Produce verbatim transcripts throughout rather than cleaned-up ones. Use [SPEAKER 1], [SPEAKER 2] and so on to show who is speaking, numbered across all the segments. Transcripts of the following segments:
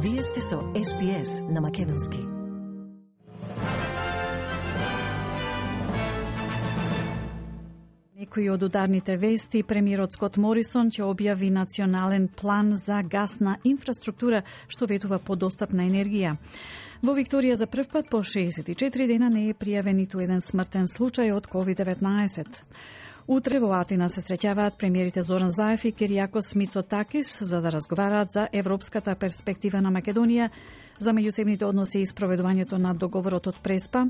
[SPEAKER 1] Вие сте со Ес Би Ес на Македонски. Некои од ударните вести, премиерот Скот Морисон ќе објави национален план за гасна инфраструктура што ветува подостапна енергија. Во Викторија за прв пат по шеесет и четири дена не е пријавен ниту еден смртен случај од ковид деветнаесет. Утре во Атина се среќаваат премиерите Зоран Заев и Киријакос Мицотакис за да разговараат за европската перспектива на Македонија, за меѓусебните односи и спроведувањето на договорот од Преспа.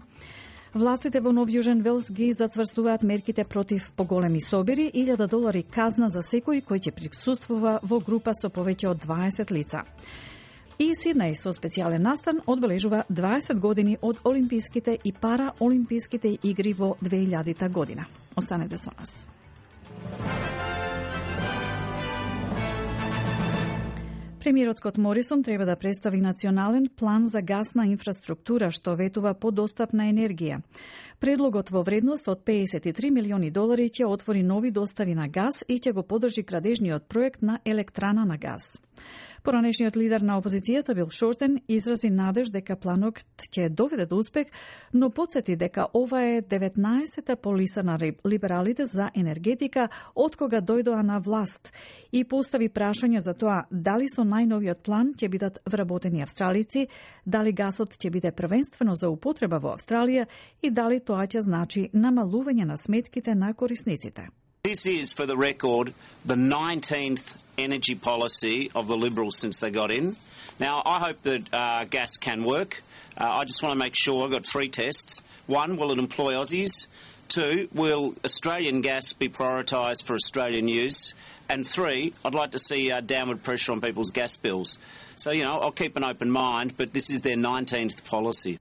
[SPEAKER 1] Властите во Нов Јужен Велс ги зацврстуваат мерките против поголеми собири, илјада долари казна за секој кој ќе присуствува во група со повеќе од дваесет лица. И Сиднеј со специјален настан одбележува дваесет години од Олимписките и Параолимписките игри во две илјадата година. Останете со нас. Премиерот Скот Морисон треба да представи национален план за гасна инфраструктура што ветува подостапна енергија. Предлогот во вредност од педесет и три милиони долари ќе отвори нови достави на газ и ќе го поддржи градежниот проект на електрана на газ. Поранешниот лидер на опозицијата Бил Шортен изрази надеж дека планот ќе доведе до успех, но потсети дека ова е деветнаесета полиса на либералите за енергетика од кога дојдоа на власт и постави прашање за тоа дали со најновиот план ќе бидат вработени австралици, дали гасот ќе биде првенствено за употреба во Австралија и дали тоа ќе значи намалување на сметките на корисниците.
[SPEAKER 2] This is, for the record, the nineteenth energy policy of the Liberals since they got in. Now, I hope that uh, gas can work. Uh, I just want to make sure, I've got three tests. One, will it employ Aussies? Two, will Australian gas be prioritised for Australian use? And three, I'd like to see uh, downward pressure on people's gas bills. So, you know, I'll keep an open mind, but this is their nineteenth policy.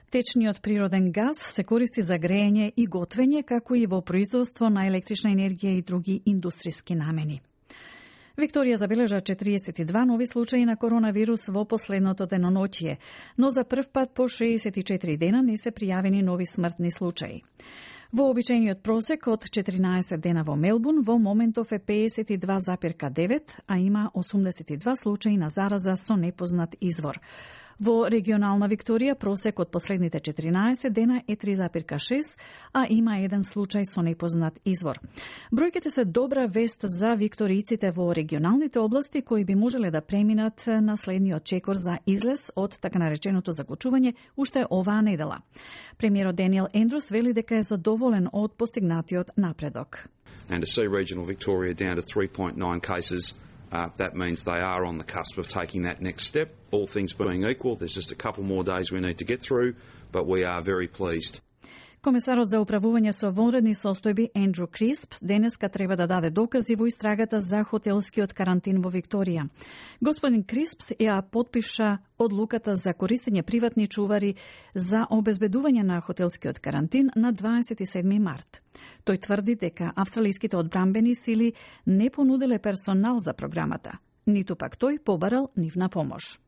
[SPEAKER 1] Течниот природен газ се користи за грејење и готвење, како и во производство на електрична енергија и други индустријски намени. Викторија забележа четириесет и два нови случаи на коронавирус во последното деноноќие, но за прв пат по шеесет и четири дена не се пријавени нови смртни случаи. Во обичајниот просек од четиринаесет дена во Мелбурн во моментов е педесет и два запирка девет, а има осумдесет и два случаи на зараза со непознат извор. Во регионална Викторија просек од последните четиринаесет дена е три запирка шест, а има еден случај со непознат извор. Бројките се добра вест за викторијците во регионалните области кои би можеле да преминат на следниот чекор за излез од така нареченото закучување уште оваа недела. Премиерот Даниел Ендрус вели дека е задоволен од постигнатиот напредок.
[SPEAKER 3] And to see regional Victoria down to three point nine cases, Uh, that means they are on the cusp of taking that next step. All things being equal, there's just a couple more days we need to get through, but we are very pleased.
[SPEAKER 1] Комесарот за управување со вонредни состојби Ендрю Крисп денеска треба да даде докази во истрагата за хотелскиот карантин во Викторија. Господин Крисп ја подпиша одлуката за користење приватни чувари за обезбедување на хотелскиот карантин на дваесет и седми март. Тој тврди дека австралиските одбранбени сили не понуделе персонал за програмата, ниту пак тој побарал нивна помош.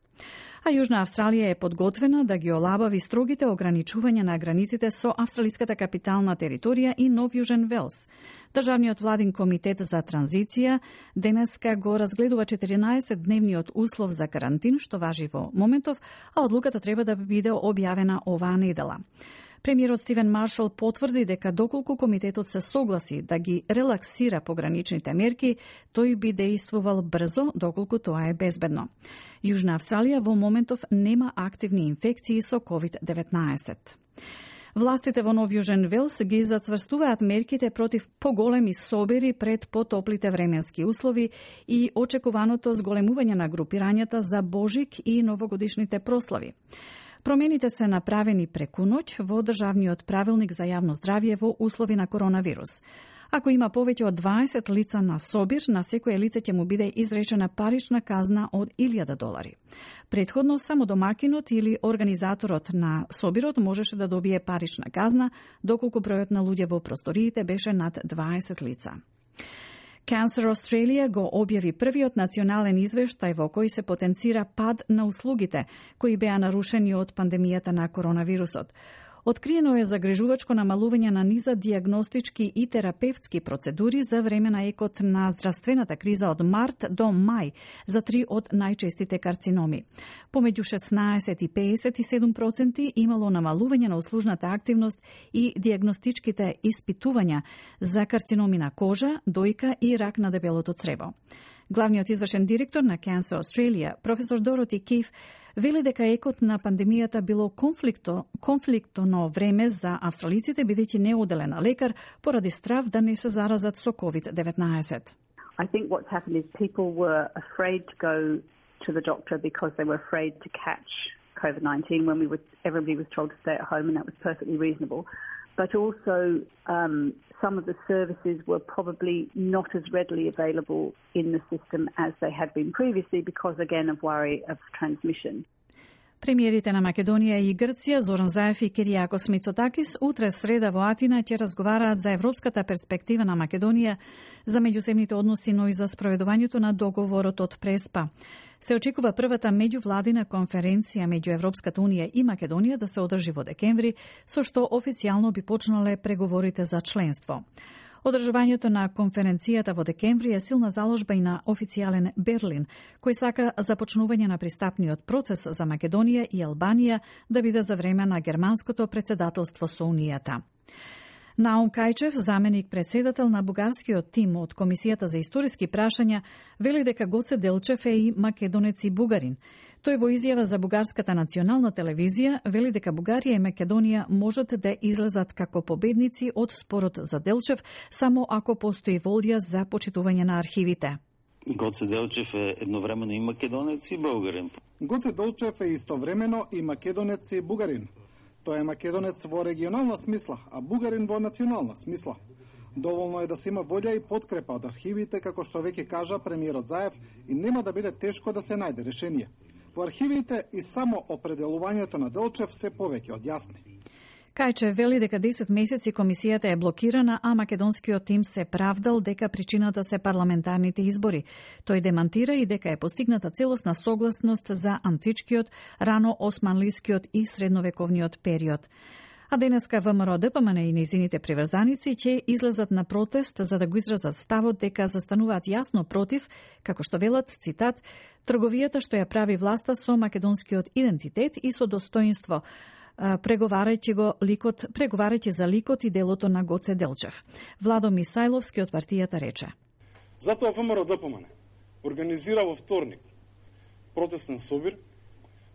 [SPEAKER 1] А Јужна Австралија е подготвена да ги олабави строгите ограничувања на границите со австралиската капитална територија и Нов Јужен Велс. Државниот владин комитет за транзиција денеска го разгледува четиринаесет дневниот услов за карантин што важи во моментов, а одлуката треба да биде објавена оваа недела. Премиерот Стивен Маршал потврди дека доколку комитетот се согласи да ги релаксира пограничните мерки, тој би дејствувал брзо доколку тоа е безбедно. Јужна Австралија во моментов нема активни инфекции со ковид деветнаесет. Властите во Нов Јужен Велс ги зацврстуваат мерките против поголеми собири пред потоплите временски услови и очекуваното зголемување на групирањата за Божик и новогодишните прослави. Промените се направени преку ноќ во државниот правилник за јавно здравје во услови на коронавирус. Ако има повеќе од дваесет лица на собир, на секое лице ќе му биде изречена парична казна од илјада долари. Претходно, само домакинот или организаторот на собирот можеше да добие парична казна, доколку бројот на луѓе во просториите беше над дваесет лица. Cancer Australia го објави првиот национален извештај во кој се потенцира пад на услугите кои беа нарушени од пандемијата на коронавирусот. Откриено е загрижувачко намалување на низа дијагностички и терапевтски процедури за време на екот на здравствената криза од март до мај за три од најчестите карциноми. Помеѓу шеснаесет и педесет и седум проценти имало намалување на услужната активност и дијагностичките испитувања за карциноми на кожа, дојка и рак на дебелото црево. Главниот извршен директор на Cancer Australia, професор Дороти Киф, вели дека екот на пандемијата било конфликто, конфликтоно време за австралиците, бидејќи не оделен лекар поради страв да не се заразат со ковид деветнаесет.
[SPEAKER 4] I think what's happened is people were afraid to go to the doctor because they were afraid to catch COVID nineteen when we were, everybody was told to stay at home, and that was perfectly reasonable. But also, um, some of the services were probably not as readily available in the system as they had been previously because, again, of worry of transmission.
[SPEAKER 1] Премиерите на Македонија и Грција, Зоран Заев и Киријакос Мицотакис, утре среда во Атина ќе разговараат за европската перспектива на Македонија, за меѓусебните односи, но и за спроведувањето на договорот од Преспа. Се очекува првата меѓувладина конференција меѓу Европската унија и Македонија да се одржи во декември, со што официјално би почнале преговорите за членство. Одржувањето на конференцијата во декември е силна заложба и на официјален Берлин, кој сака започнување на пристапниот процес за Македонија и Албанија да биде за време на германското председателство со Унијата. Наум Кајчев, заменик председател на бугарскиот тим од Комисијата за историски прашања, вели дека Гоце Делчев е и македонец и бугарин. Тој во изјава за бугарската национална телевизија вели дека Бугарија и Македонија можат да излезат како победници од спорот за Делчев само ако постои волја за почитување на архивите.
[SPEAKER 5] Гоце Делчев е едновремено и македонец и бугарин.
[SPEAKER 6] Гоце Делчев е истовремено и македонец и бугарин. Тој е македонец во регионална смисла, а бугарин во национална смисла. Доволно е да се има волја и подкрепа од архивите, како што веќе кажа премиерот Заев, и нема да биде тешко да се најде решение. Во архивите и само определувањето на Делчев се повеќе од јасни.
[SPEAKER 1] Кајчев вели дека десет месеци комисијата е блокирана, а македонскиот тим се правдал дека причината се парламентарните избори. Тој демантира и дека е постигната целосна согласност за античкиот, рано османлискиот и средновековниот период. А денеска ВМРО ДПМН и нејзините приврзаници ќе излезат на протест за да го изразат ставот дека застануваат јасно против, како што велат, цитат, трговијата што ја прави власта со македонскиот идентитет и со достоинство, преговарајќи го ликот, преговарајќи за ликот и делото на Гоце Делчев. Владо Мисајловски од партијата рече:
[SPEAKER 6] Затоа ВМРО ДПМН организира во вторник протестен собир,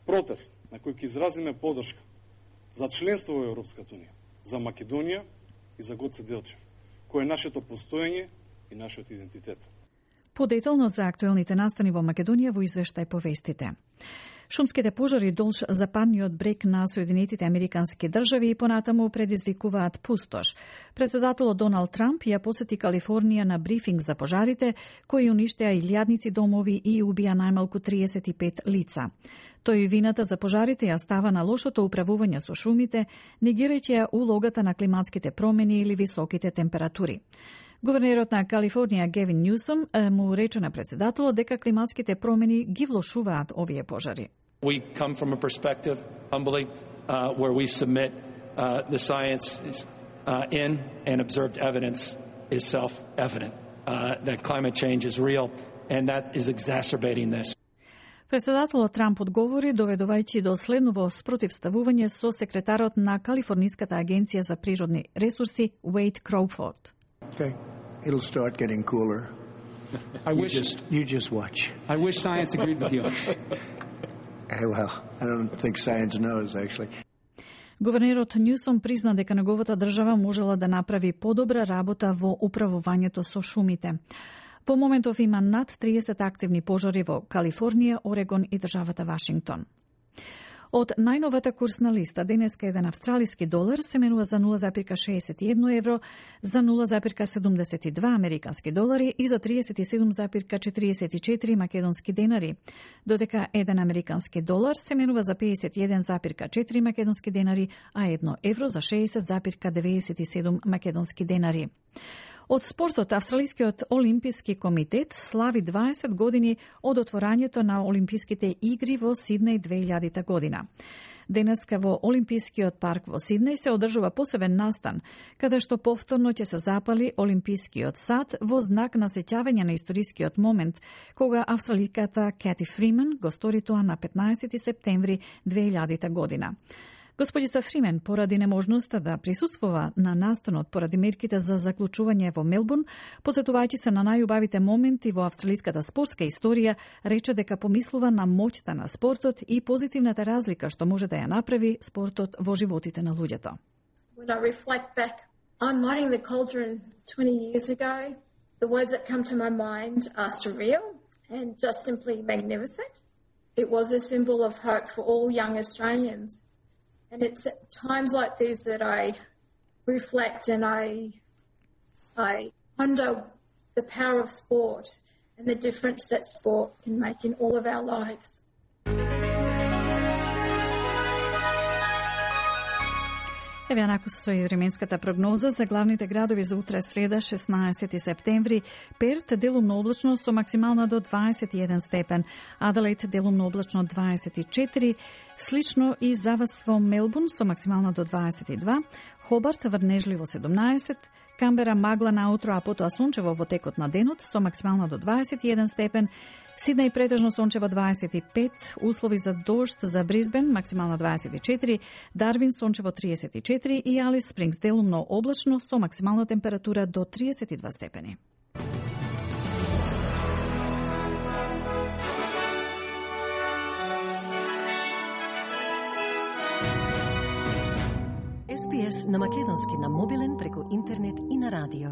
[SPEAKER 6] протест на кој ќе изразиме поддршка за членство во Европската унија, за Македонија и за Гоце Делчев, кој е нашето постоење и нашиот идентитет.
[SPEAKER 1] Подетално за актуелните настани во Македонија во извештај по вестите. Шумските пожари долж западниот брег на Соединетите Американски држави и понатаму предизвикуваат пустош. Председателот Доналд Трамп ја посети Калифорнија на брифинг за пожарите, кои уништеа илјадници домови и убија најмалку триесет и пет лица. Тој вината за пожарите ја става на лошото управување со шумите, негирајќи ја улогата на климатските промени или високите температури. Гувернерот на Калифорнија Гевин Нјусом му рече на председателот дека климатските промени ги влошуваат овие пожари.
[SPEAKER 7] We come from a perspective, humbly, uh, where we submit uh, the science is, uh, in and observed evidence is self-evident. Uh, that climate change is real and that is exacerbating this.
[SPEAKER 1] Председателот Трамп одговори доведувајќи до следново спротивставување со секретарот на Калифорниската агенција за природни ресурси Уейд Кроуфорд.
[SPEAKER 8] Okay, it'll start getting cooler.
[SPEAKER 9] I
[SPEAKER 8] you
[SPEAKER 9] wish
[SPEAKER 8] just you just watch.
[SPEAKER 9] I wish science agreed with you.
[SPEAKER 8] Hey, well, I don't think science knows actually.
[SPEAKER 1] Гувернерот Нјусом призна дека неговата држава можела да направи подобра работа во управувањето со шумите. Во моментов има над триесет активни пожари во Калифорнија, Орегон и државата Вашингтон. Од најновата курсна листа, денеска еден австралиски долар се менува за нула зарез шеесет и едно евро, за нула зарез седумдесет и два американски долари и за триесет и седум зарез четириесет и четири македонски денари, додека еден американски долар се менува за педесет и еден зарез четири македонски денари, а едно евро за шеесет зарез деветдесет и седум македонски денари. Од спортот, Австралискиот олимписки комитет слави дваесет години од отворањето на Олимписките игри во Сиднеј две илјадита година. Денеска во Олимпискиот парк во Сиднеј се одржува посебен настан, каде што повторно ќе се запали Олимпискиот сад во знак на сеќавање на историскиот момент, кога австраликата Кати Фримен го стори тоа на петнаесети септември две илјадита година. Господица Фримен, поради неможноста да присуствува на настанот поради мерките за заклучување во Мелбурн, посетувајќи се на најубавите моменти во австралиската спортска историја, рече дека помислува на моќта на спортот и позитивната разлика што може да ја направи спортот во животите на луѓето.
[SPEAKER 10] When I reflect back on lighting the cauldron twenty years ago, the words that come to my mind are surreal and just simply magnificent. It was a symbol of hope for all young Australians. And it's at times like these that I reflect and I, I wonder the power of sport and the difference that sport can make in all of our lives.
[SPEAKER 1] Еве онаку со и временската прогноза за главните градови за утре среда шеснаесети септември. Перт делумно облачно со максимална до дваесет и еден степен, Аделаид делумно облачно дваесет и четири, слично и за вас во Мелбурн со максимална до дваесет и два, Хобарт врнежливо седумнаесет, Камбера магла наутро, а потоа сончево во текот на денот со максимална до дваесет и еден степен, Сиднеј претежно сончево дваесет и пет, услови за дожд за Брисбен максимална дваесет и четири, Дарвин сончево триесет и четири и Алис Спрингс делумно облачно со максимална температура до триесет и два степени.
[SPEAKER 11] Ес Пи Ес на македонски на мобилен преку интернет и на радио.